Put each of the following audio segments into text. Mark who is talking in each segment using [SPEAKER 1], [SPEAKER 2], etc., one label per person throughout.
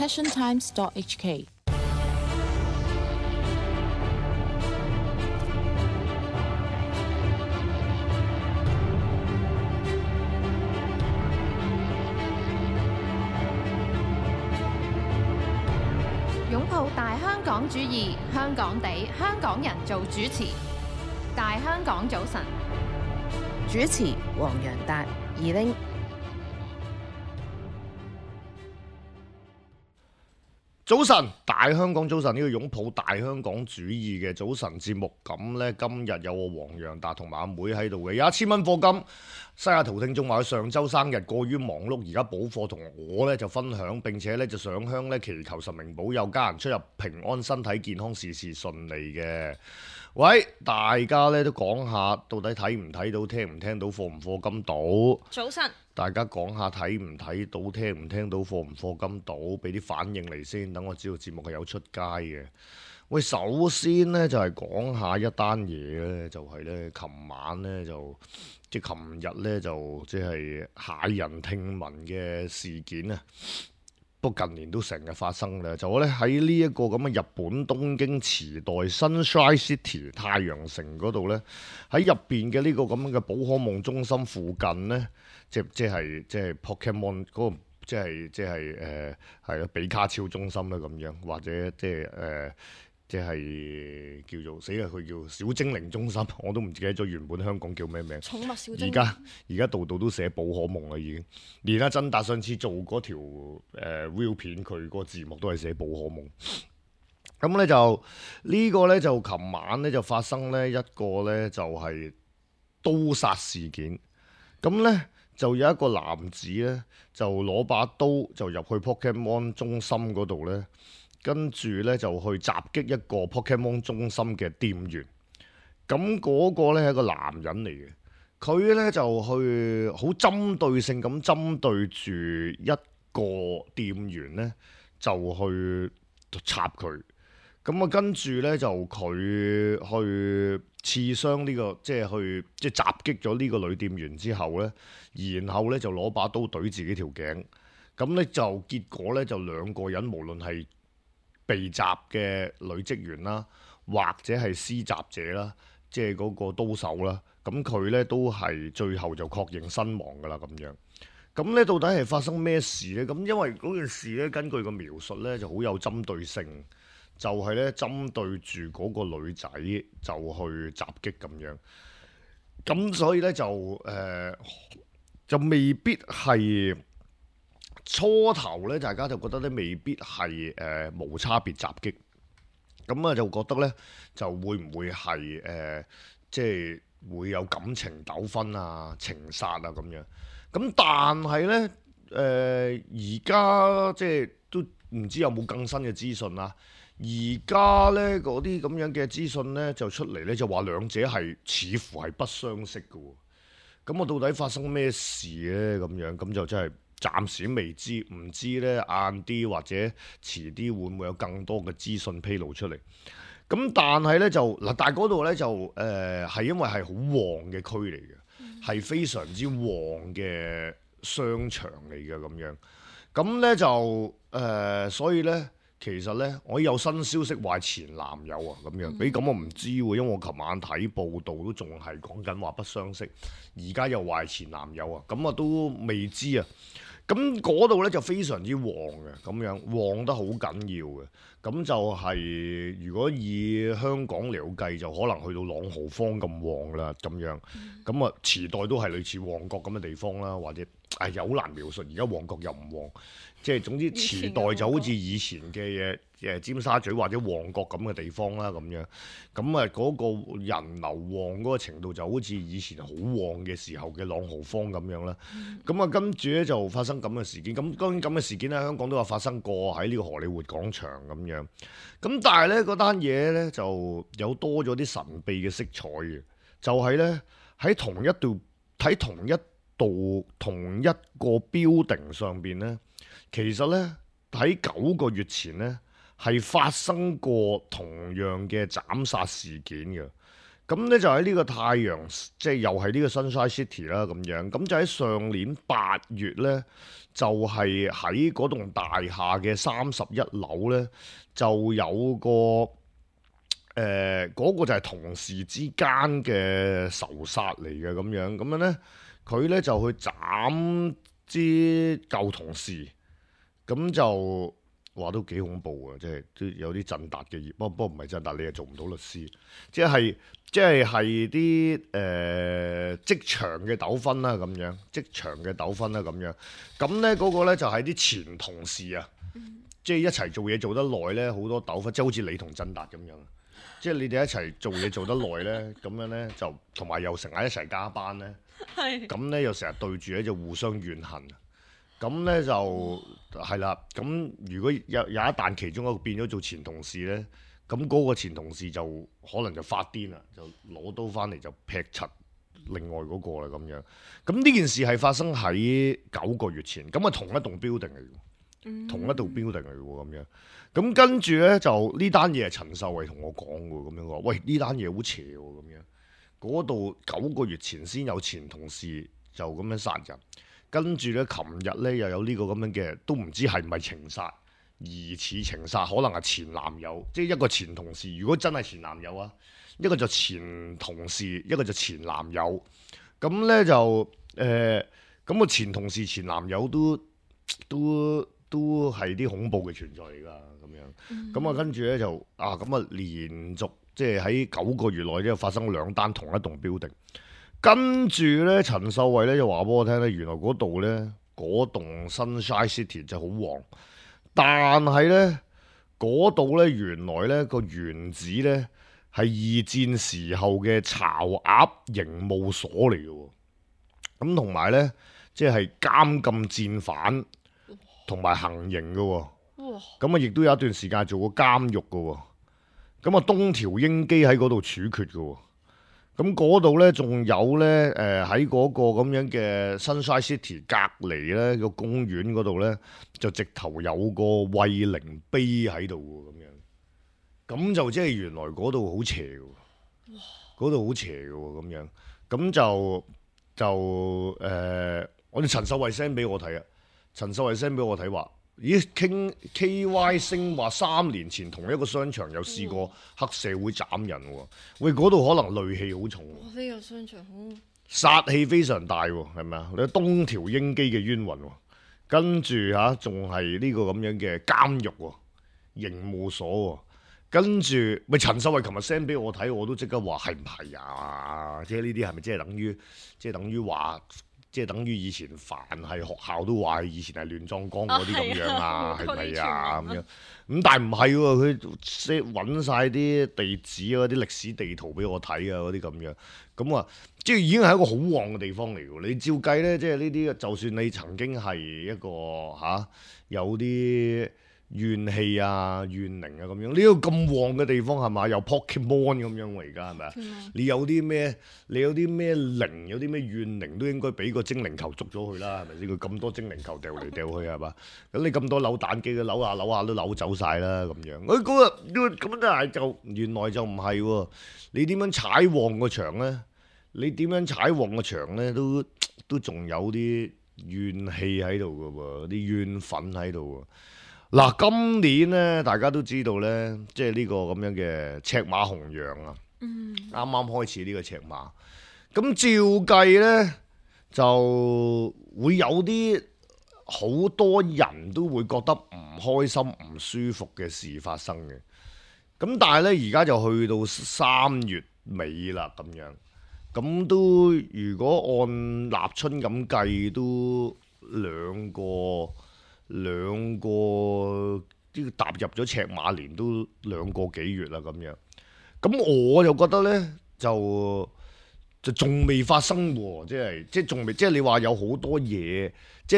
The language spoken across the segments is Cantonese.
[SPEAKER 1] passiontimes.hk。
[SPEAKER 2] 擁抱大香港主義，香港地，香港人做主持。大香港早晨，
[SPEAKER 3] 主持黃洋達、二拎。
[SPEAKER 4] 早晨，大香港早晨，呢個擁抱大香港主義嘅早晨節目，咁呢，今日有我黃洋達同埋阿妹喺度嘅，有1000蚊課金。西雅圖聽眾話佢上週生日過於忙碌，而家補課同我呢就分享，並且呢就上香呢祈求神明保佑家人出入平安、身體健康、事事順利嘅。喂，大家呢都講下，到底睇唔睇到、聽唔聽到、課唔課金到？
[SPEAKER 2] 早晨，
[SPEAKER 4] 大家講下睇唔睇到、聽唔聽到、課唔課金到，俾啲反應嚟先，等我知道節目係有出街嘅。喂，首先呢，就係講下一單嘢呢，就係呢，琴晚呢，就即係琴日呢，就即係駭人聽聞嘅事件啊！不過近年都成日發生咧，就咧喺呢一個咁嘅日本東京池袋 Sunshine City 太陽城嗰度咧，喺入邊嘅呢個咁嘅寶可夢中心附近咧，即係 Pokemon 嗰個，即係係咯比卡超中心啦咁樣，或者即係叫做死啦，佢叫小精靈中心，我都唔記得咗原本香港叫咩名。
[SPEAKER 2] 寵物小精靈。
[SPEAKER 4] 而家度度都寫寶可夢啦，已經。連阿曾達上次做嗰條real 片，佢個字幕都係寫寶可夢。咁咧就呢個咧就琴晚咧就發生咧一個咧就係刀殺事件。咁咧就有一個男子咧就攞把刀就入去 Pokemon 中心嗰度咧。跟住咧就去襲擊一個 Pokemon 中心嘅店員，咁嗰個咧係一個男人嚟嘅，佢咧就去好針對性咁針對住一個店員咧，就去插佢，咁啊跟住咧就佢去刺傷呢個，即係襲擊咗呢個女店員之後咧，然後咧就攞把刀懟自己條頸，咁咧就結果咧就兩個人無論係被襲嘅女職員啦，或者係施襲者啦，即係嗰個刀手啦，咁佢咧都係最後就確認身亡噶啦咁樣。咁咧到底係發生咩事咧？咁因為嗰件事咧，根據個描述咧就好有針對性，就係咧針對住嗰個女仔就去襲擊咁樣。咁所以咧就未必係。初頭咧，大家就覺得咧未必係無差別襲擊，咁啊就覺得咧就會唔會係即係會有感情糾紛啊、情殺啊咁樣。咁但係咧而家即係都唔知有冇更新嘅資訊啦。而家咧嗰啲咁樣嘅資訊咧就出嚟咧就話兩者係似乎係不相識嘅喎。咁我到底發生咩事咧？咁樣咁就真係。暫時未知，唔知咧晏啲或者遲啲會唔會有更多嘅資訊披露出嚟？咁但係咧就嗱，但係嗰度咧就係因為係好旺嘅區嚟嘅，係非常之旺嘅商場嚟嘅咁樣。咁咧就所以咧其實咧我有新消息話前男友啊咁樣，咁我唔知喎，因為我琴晚睇報道都仲係講緊話不相識，而家又話前男友啊，咁啊都未知啊。咁嗰度咧就非常之旺嘅，咁樣旺得好緊要嘅。咁就係如果以香港嚟計，就可能去到朗豪坊咁旺啦，咁樣。咁啊，池袋都係類似旺角咁嘅地方啦，或者又好難描述。而家旺角又唔旺，即係總之池袋就好似以前嘅尖沙咀或者旺角咁嘅地方啦，咁樣。咁啊，嗰個人流旺嗰個程度就好似以前好旺嘅時候嘅朗豪坊咁樣啦。咁啊，跟住咧就發生咁嘅事件。咁當然咁嘅事件喺香港都有發生過，喺呢個荷里活廣場咁樣。咁但係咧嗰單嘢咧就有多咗啲神秘嘅色彩嘅，就係咧喺同一個 building 上邊咧，其實咧喺9個月前咧係發生過同樣嘅斬殺事件嘅。咁咧就喺呢個太陽，即係又係呢個 Sunshine City 啦咁樣。咁就喺上年8月咧，就係喺嗰棟大廈嘅31樓咧，就有個嗰個就係同事之間嘅仇殺嚟嘅咁樣。咁樣咧，佢咧就去斬啲舊同事，咁就話都幾恐怖啊！即係都有啲鎮達嘅業，不過唔係鎮達，你又做唔到律師，係啲職場嘅糾紛啦咁樣，職場嘅糾紛啦咁樣。咁咧嗰個咧就係啲前同事啊，即係一齊做嘢做得耐咧，好多糾紛，即係好似你同鎮達咁樣。即係你哋一齊做嘢做得耐咧，咁樣咧就同埋又成日一齊加班咧，咁咧又成日對住咧就互相怨恨。咁咧就係啦。咁如果有一旦其中一個變咗做前同事咧，咁嗰個前同事就可能就發癲啦，就攞刀翻嚟就劈柒另外嗰個啦咁樣。咁呢件事係發生喺9個月前，咁啊同一棟 building 嚟嘅，同一棟 building 嚟嘅喎咁樣。咁跟住咧就呢單嘢係陳秀慧同我講喎，咁樣話喂，呢單嘢好邪喎咁樣。嗰度9個月前先有前同事就咁樣殺人。跟住咧，琴日咧又有呢個咁樣嘅，都唔知係唔係情殺，疑似情殺，可能係前男友，即係一個前同事。如果真係前男友啊，一個就前同事，一個就前男友。咁咧就咁個前同事、前男友都係啲恐怖嘅存在嚟㗎，咁樣。咁啊，跟住咧就咁啊，連續即係喺9個月內咧發生2單同一棟 building。跟住咧，陳秀慧咧就話俾我聽咧，原來嗰度咧嗰棟 Sunshine City 就好旺，但係咧嗰度咧原來咧個原址咧係2戰時候嘅巢鴨刑務所嚟嘅喎，咁同埋咧即係監禁戰犯同埋行刑嘅喎，咁啊亦都有一段時間做過監獄嘅喎，咁啊東條英機喺嗰度處決嘅喎。咁嗰度咧，仲有咧，喺嗰個咁樣嘅 Sunshine City 隔離咧個公園嗰度咧，就直頭有個慰靈碑喺度喎，咁樣，咁就即係原來嗰度好邪嘅喎，嗰度好邪嘅喎，咁樣，咁就我哋陳秀慧 send 俾我睇啊，陳秀慧 send 俾我睇話。咦，傾 KY 星話3年前同一個商場有試過黑社會斬人喎，喂嗰度可能戾氣好重喎，
[SPEAKER 1] 呢個商場好
[SPEAKER 4] 殺氣非常大喎，係咪啊？你東條英機嘅冤魂喎，跟住仲係呢個咁樣嘅監獄喎，刑務所喎，跟住咪陳秀慧琴日 send 俾我睇，我都即刻話係唔係啊？即係呢啲係咪即係等於話？即係等於以前凡係學校都話以前係亂葬崗嗰啲咁樣啊，係咪啊咁樣？咁但係唔係喎，佢揾晒啲地址啊、啲歷史地圖俾我睇啊，嗰啲咁樣。咁啊，即係已經係一個好旺嘅地方嚟喎。你照計咧，即係呢啲，就算你曾經係一個有啲怨氣啊、怨靈啊咁樣，呢個咁旺嘅地方係咪有 Pokemon 咁樣喎？而家係咪啊？你有啲咩靈，有啲咩怨靈都應該俾個精靈球捉咗佢啦，係咪先？佢咁多精靈球掉嚟掉去係嘛？咁你咁多扭蛋機，佢扭下都扭走晒啦咁樣。咁但係就原來就唔係喎。你點樣踩旺個場咧？你點樣踩旺個場咧？都仲有啲怨氣喺度㗎喎，啲怨憤喺度喎。嗱，今年咧，大家都知道咧，即係呢個咁樣嘅赤馬紅羊啊，啱啱開始呢個赤馬，咁照計咧就會有啲好多人都會覺得唔開心、唔舒服嘅事發生嘅，咁但係咧而家就去到3月尾啦，咁樣，咁都如果按立春咁計，都兩個啲踏入咗赤馬年都2個幾月啦咁樣，咁我就覺得咧就仲未發生喎，即係仲未，即係你話有好多嘢，即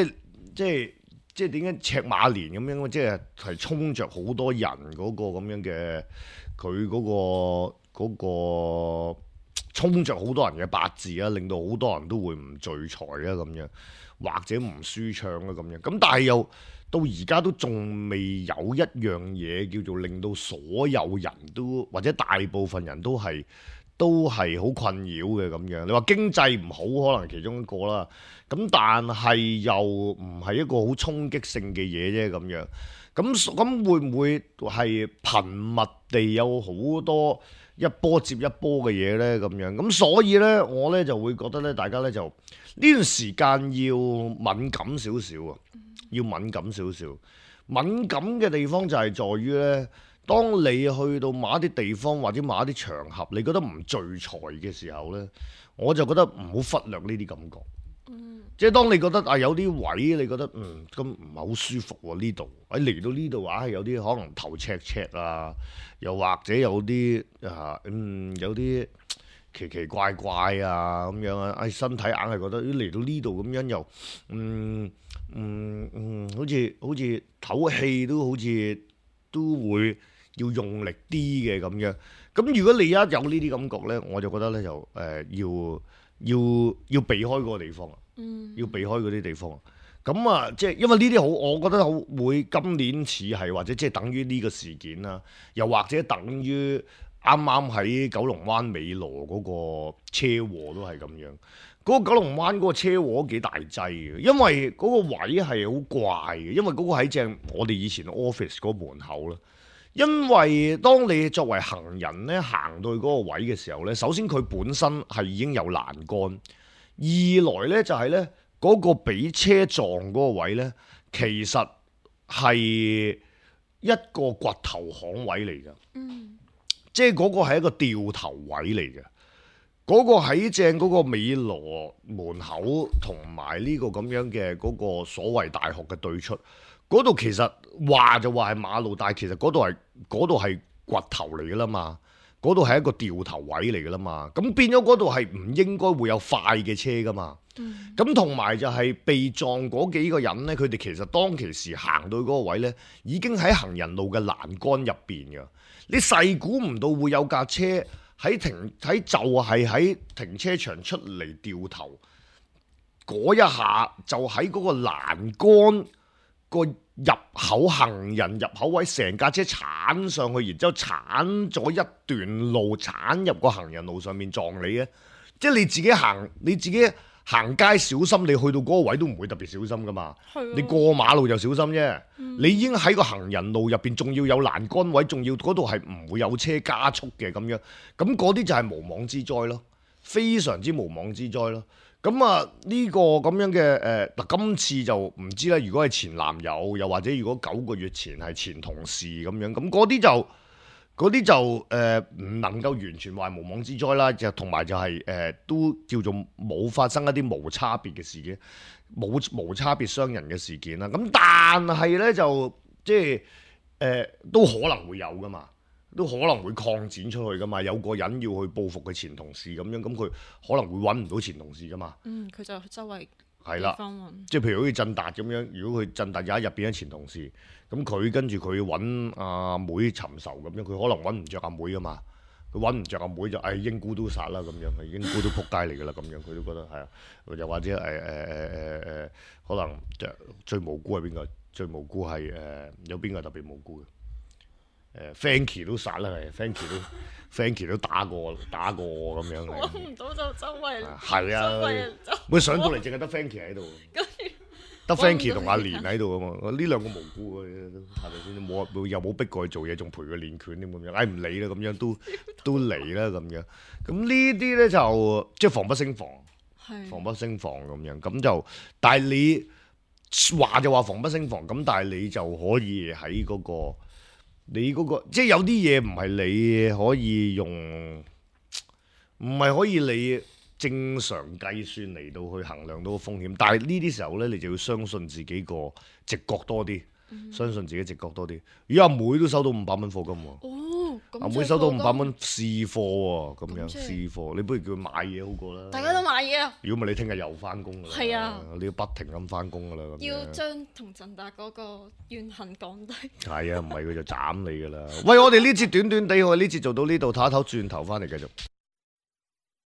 [SPEAKER 4] 係點解赤馬年咁樣，即係衝着好多人嗰個咁樣嘅佢嗰個衝着好多人嘅八字啊，令到好多人都會唔聚財啊咁樣。或者唔舒暢啊咁樣，咁但係又到而家都仲未有一樣嘢叫做令到所有人都或者大部分人都係都係好困擾嘅咁樣。你話經濟唔好，可能其中一個啦。咁但係又唔係一個好衝擊性嘅嘢啫咁樣。咁會唔會係頻密地有好多一波接一波嘅嘢呢？咁樣咁所以呢，我呢就會覺得呢，大家呢就呢段時間要敏感少少啊，要敏感少少。敏感嘅地方就係在於呢，當你去到某一啲地方或者某一啲場合，你覺得唔聚財嘅時候呢，我就覺得唔好忽略呢啲感覺。即係當你覺得有啲位你覺得咁唔係好舒服喎，呢度嚟到呢度有啲可能頭赤赤啊，又或者有啲有啲奇奇怪怪啊咁樣啊，身體硬係覺得嚟到呢度咁樣又好似唞氣都好似都會要用力啲嘅咁樣。咁如果你一有呢啲感覺呢，我就覺得呢，就要避開嗰個地方。要避開嗰啲地方，咁啊，即係因為呢啲好，我覺得好會今年似係或者即係等於呢個事件啦，又或者等於啱啱喺九龍灣美羅嗰個車禍都係咁樣。嗰個九龍灣嗰個車禍都幾大劑嘅，因為嗰個位係好怪嘅，因為嗰個喺正我哋以前 office 嗰個門口啦。因為當你作為行人咧行到去嗰個位嘅時候咧，首先佢本身係已經有欄杆。二來呢，就係呢嗰個俾車撞嗰個位呢，其實係一個掘頭巷位嚟㗎。即係嗰個係一個掉頭位嚟嘅。嗰個喺正嗰個美羅門口同埋呢個咁樣嘅嗰個所謂大學嘅對出，嗰度其實話就話係馬路，但係其實嗰度係掘頭嚟㗎啦嘛。嗰度係一個掉頭位嚟㗎啦嘛，咁變咗嗰度係唔應該會有快嘅車㗎嘛。咁同埋就係被撞嗰幾個人呢，佢哋其實當其時行到嗰個位呢，已經喺行人路嘅欄杆入邊㗎。你細估唔到會有架車就係喺停車場出嚟掉頭嗰一下，就喺嗰個欄杆個入口行人入口位，成架車鏟上去，然之後鏟咗一段路，鏟入個行人路上面撞你嘅。即係你自己行街小心，你去到嗰個位都唔會特別小心噶嘛。你過馬路就小心啫。你已經喺個行人路入邊，仲要有欄杆位，仲要嗰度係唔會有車加速嘅咁樣。咁嗰啲就係無妄之災咯，非常之無妄之災咯。咁啊呢個咁樣嘅今次就唔知啦。如果係前男友，又或者如果9個月前係前同事咁樣，咁嗰啲就唔能夠完全話係無妄之災啦。就同埋就係都叫做冇發生一啲無差別嘅事件，無差別傷人嘅事件啦。咁但係呢，就即係都可能會有噶嘛。都可能會擴展出去噶嘛，有個人要去報復佢前同事咁樣，咁佢可能會揾唔到前同事噶嘛。
[SPEAKER 3] 佢就周圍
[SPEAKER 4] 係啦，即係譬如好似振達咁樣，如果佢振達有一日變咗前同事，咁佢跟住佢揾阿妹尋仇咁樣，佢可能揾唔着阿妹噶嘛，佢揾唔着阿妹就英姑都殺啦咁樣，英姑都撲街嚟噶啦咁樣，佢都覺得係啊，又或者可能最無辜係邊個？最無辜係有邊個特別無辜嘅？Frankie 都殺啦，係 Frankie 都打過我咁樣。
[SPEAKER 3] 揾唔到就周圍
[SPEAKER 4] 係啊，佢上到嚟淨係得 Frankie 喺度，得 Frankie 同阿蓮喺度啊嘛。呢兩個無辜嘅，係咪先？又冇逼過佢做嘢，仲陪佢練拳添咁樣。唔理啦，咁樣都嚟啦咁樣。咁呢啲咧就即係防不勝防，防不勝防咁樣。咁就但係你話就話防不勝防，咁但係你就可以喺嗰個。你嗰個即係有啲嘢唔係你可以用，唔係可以你正常計算嚟到去衡量到個風險，但係呢啲時候呢，你就要相信自己個直覺多啲，相信自己直覺多啲。如果阿妹都收到500蚊課金喎。阿妹收到500蚊試貨喎，咁樣試貨，你不如叫佢買嘢好過啦。
[SPEAKER 3] 大家都買嘢啊！
[SPEAKER 4] 如果唔係你聽日又翻工㗎啦。係啊，你要不停咁翻工㗎啦。
[SPEAKER 3] 要將同振達嗰個怨恨降低。係
[SPEAKER 4] 啊，唔係佢就斬你㗎啦。喂，我哋呢節短短地，我哋呢節做到呢度，唞一唞，轉頭翻嚟繼續。